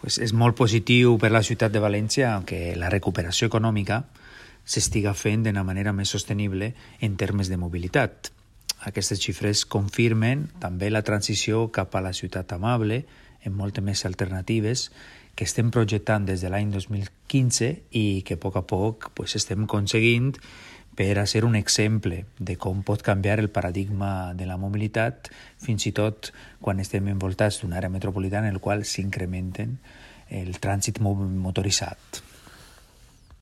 és molt positiu per la ciutat de València que la recuperació econòmica s'estiga fent d'una manera més sostenible en termes de mobilitat. Aquestes xifres confirmen també la transició cap a la ciutat amable, amb moltes més alternatives, que estem projectant des de l'any 2015 i que a poc estem aconseguint per a ser un exemple de com pot canviar el paradigma de la mobilitat, fins i tot quan estem envoltats d'una àrea metropolitana en la qual s'incrementen el trànsit motoritzat.